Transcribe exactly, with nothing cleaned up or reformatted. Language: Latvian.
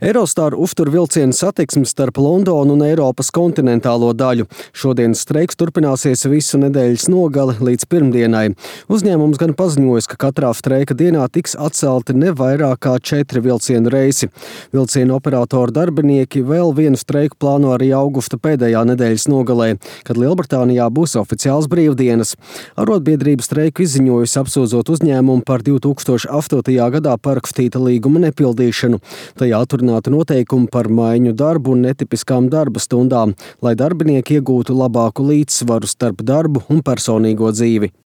Eurostar uztur vilcienu satiksmi starp Londonu un Eiropas kontinentālo daļu. Šodienas streiks turpināsies visu nedēļas nogali līdz pirmdienai. Uzņēmums gan paziņojis, ka katrā streika dienā tiks atcelti ne vairāk kā četri vilcienu reisi. Vilcienu operatoru darbinieki vēl vienu streiku plāno arī augusta pēdējā nedēļas nogalē, kad Lielbritānijā būs oficiāls brīvdienas. Arotbiedrība streiku izziņojusi, apsūdzot uzņēmumu par divi tūkstoši astotajā gadā parakstīta līguma nepildīšanu. Tajā atrunāta noteikumi par maiņu darbu un netipiskām darba stundām, lai darbinieki iegūtu labāku līdzsvaru starp darbu un personīgo dzīvi.